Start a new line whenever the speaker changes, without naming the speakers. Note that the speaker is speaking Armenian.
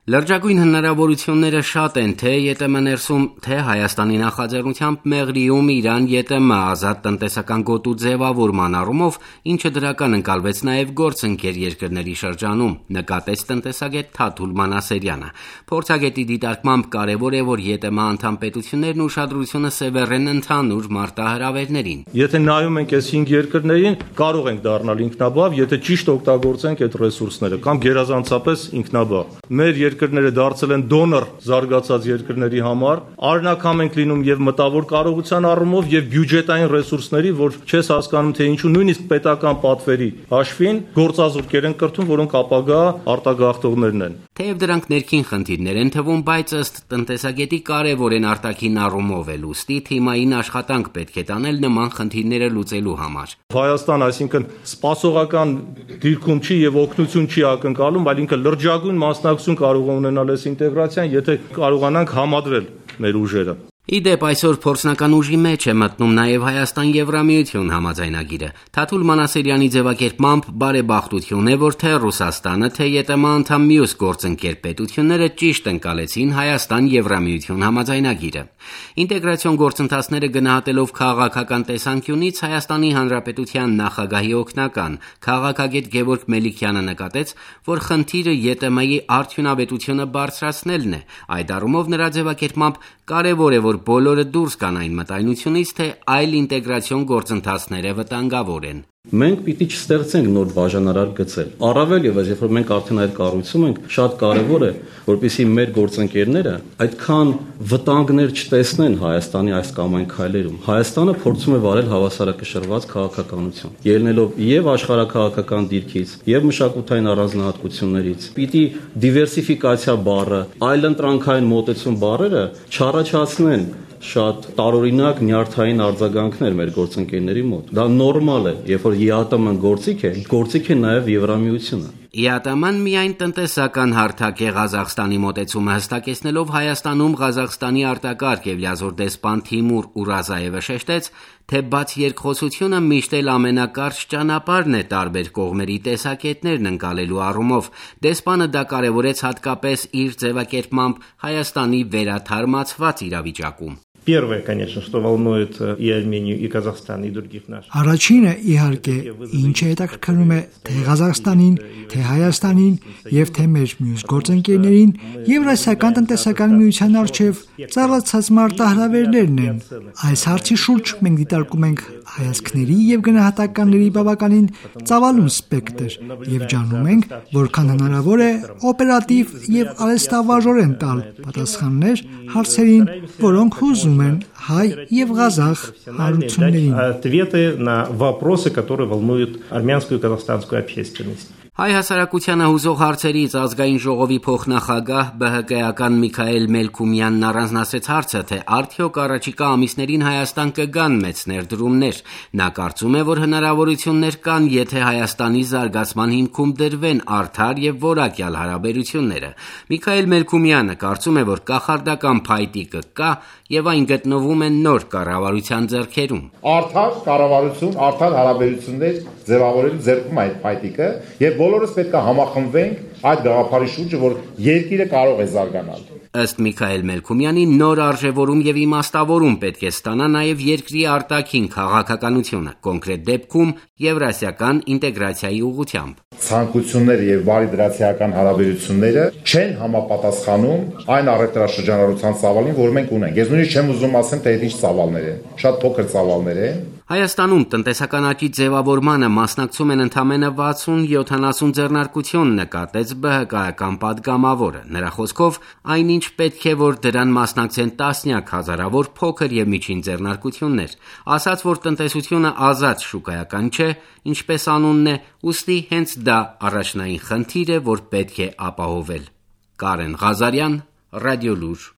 Լրջագույն հնարավորությունները շատ են թե ԵՏՄ ներսում, թե Հայաստանի նախաձեռնությամբ Մեղրիում Իրան-ԵՏՄ ազատ տնտեսական գոտու ձևավորման առումով, ինչը դրական ընկալվեց նաև գործընկեր երկրների շրջանում, նկատեց տնտեսագետ Թաթուլ Մանասերյանը։ Փորձագետի դիտարկմամբ կարևոր է, որ ԵՏՄ անդամ պետություններն ուշադրությունը սևեռեն ընդհանուր մարտահրավերներին։
Եթե նայում ենք այս 5 երկրներին, կարող ենք դառնալ ինքնաբավ, եթե ճիշտ օգտագործենք այդ ռեսուրսները կամ գերազանցապես ինքնաբավ։ Մեր երկրները դարձել են դոնոր զարգացած երկրների համար, արժանաքամ ենք լինում եւ մտավոր կարողության առումով եւ բյուջետային ռեսուրսների, որ չես հասկանում թե ինչու նույնիսկ պետական պատվերի հաշվին գործազուրկեր են կրթում, որոնք ապագա արտագաղթողներն են։
Թեև դրանք ներքին խնդիրներ են թվում, բայց ըստ տնտեսագետի կարևոր են արտաքին առումով էլ, ուստի թիմային աշխատանք պետք է տանել նման խնդիրները լուծելու համար։
Հայաստան, այսինքն սպասողական դիրքում չի եւ օգնություն չի ակնկալում, այլ ինքը լրջագույն մասնակցություն կարող է ունենալ այս ինտեգրացիան, եթե կարողանանք համադրել մեր ուժերը։
Իդեպ այսօր փորձնական ուժի մեջ է մտնում նաև Հայաստան-Եվրամիություն համաձայնագիրը։ Թաթուլ Մանասերյանի ձևակերպմամբ բարեբախտություն է, որ թե Ռուսաստանը, թե ԵՏՄ անդամ մյուս գործընկեր պետությունները ճիշտ ընկալեցին Հայաստան-Եվրամիություն համաձայնագիրը։ Ինտեգրացիոն գործընթացները գնահատելով քաղաքական տեսանկյունից Հայաստանի Հանրապետության նախագահի օգնական քաղաքագետ Գևորգ Մելիքյանը նկատեց, որ խնդիրը ԵՏՄ-ի արդյունավետությունը բարձրացնելն է։ Այդ առումով նրա ձևակերպմամբ կարևոր է, որ բոլորը դուրս գան այն մտայնությունից, թե այլ ինտեգրացիոն գործընթացները վտանգավոր են։
Մենք պիտի չստեղծենք նոր բաժանարար գծեր։ Առավել եւս, երբ որ մենք արդեն այդ կառույցում ենք, շատ կարեւոր է, որպեսզի մեր գործընկերները այդքան վտանգներ չտեսնեն Հայաստանի այս կամ այն քայլերում։ Հայաստանը փորձում է վարել հավասարակշռված քաղաքականություն, ելնելով եւ աշխարհաքաղաքական դիրքից, եւ մշակութային առանձնահատկություններից։ Պիտի դիվերսիֆիկացիա բառը, այլընտրանքային մոտեցում բառերը չառաջացնեն շատ տարօրինակ նյարդային արձագանքներ մեր գործընկերների մոտ։ Դա նորմալ է, երբ որ ԵԱՏՄ-ն գործիք է նաև Եվրամիությունը։
ԵԱՏՄ-ն միայն տնտեսական հարթակ է Ղազախստանի մոտեցումը հստակեցնելով Հայաստանում Ղազախստանի արտակարգ եւ լիազոր դեսպան Թիմուր Ուրազաևը շեշտեց, թե բաց երկխոսությունը միշտ էլ ամենակարճ ճանապարհն է տարբեր կողմերի տեսակետներն ընկալելու առումով։ Դեսպանը դա կարևորեց հատկապես իր ձևակերպմամբ Հայաստանի վերաթարմացված իրավիճակում։
Первое, конечно, что волнует и Армению, и Казахстан, и других наших.
Առաջինը իհարկե ինչ է հետաքրքրում է թե Ղազախստանին, թե Հայաստանին եւ թե մեր մյուս գործընկերներին Եվրասիական տնտեսական միության արչեւ ծառացած մարտահրավերներն են։ Այս հարցի շուրջ մենք դիտարկում ենք հայացքների եւ գնահատականների բավականին ծավալուն սպեկտր եւ ջանում ենք, որքան հնարավոր է օպերատիվ եւ արհեստավարժորեն տալ պատասխաններ հարցերին, որոնք հուզում հայ եւ Ղազախ հարություններին։
Ответы на вопросы, которые волнуют армянскую и казахстанскую общественность.
Հայ հասարակությանը հուզող հարցերից ազգային ժողովի փոխնախագահ ԲՀԿ-ական Միքայել Մելքումյանն առանձնացրեց հարցը, թե արդյոք առաջիկա ամիսներին Հայաստան կգան մեծ ներդրումներ։ Նա կարծում է, որ հնարավորություններ կան, եթե Հայաստանի զարգացման հիմքում դրվեն արդար եւ որակյալ հարաբերությունները։ Միքայել Մելքումյանը կարծում է, որ կախարդական փայտիկը կա եւ այն գտնվում է նոր կառավարության ձեռքերում։
Արդար կառավարություն, արդար հարաբերություններ ձևավորելու ձեռքում այդ փայտիկը եւ բոլորս պետք է համախմբվենք այդ գաղափարի շուրջը, որ երկիրը կարող է զարգանալ։
Ըստ Միքայել Մելքումյանի նոր արժևորում եւ իմաստավորում պետք է ստանա նաեւ երկրի արտաքին քաղաքականությունը, կոնկրետ դեպքում Եվրասիական ինտեգրացիայի ուղղությամբ։
Ցանկությունները եւ բարիդրացիական հարաբերությունները չեն համապատասխանում այն առևտրաշրջանառության ծավալին, որ մենք ունենք։ Ես նույնիսկ չեմ ուզում ասեմ, թե այդ ինչ ծավալներ են, շատ փոքր ծավալներ են։
Հայաստանում տնտեսական աճի ձևավորմանը մասնակցում են ընդամենը 60-70 ձեռնարկություն, նկատեց ԲՀԿ-ական պատգամավորը։ Նրա խոսքով, այնինչ պետք է, որ դրան մասնակցեն տասնյակ հազարավոր փոքր եւ միջին ձեռնարկություններ։ Ասաց, որ տնտեսությունը ազատ շուկայական չէ, ինչպես անունն է, ուստի հենց դա առաջնային խնդիր է, որ պետք է ապահովել։ Կարեն Ղազարյան, Ռադիոլուր։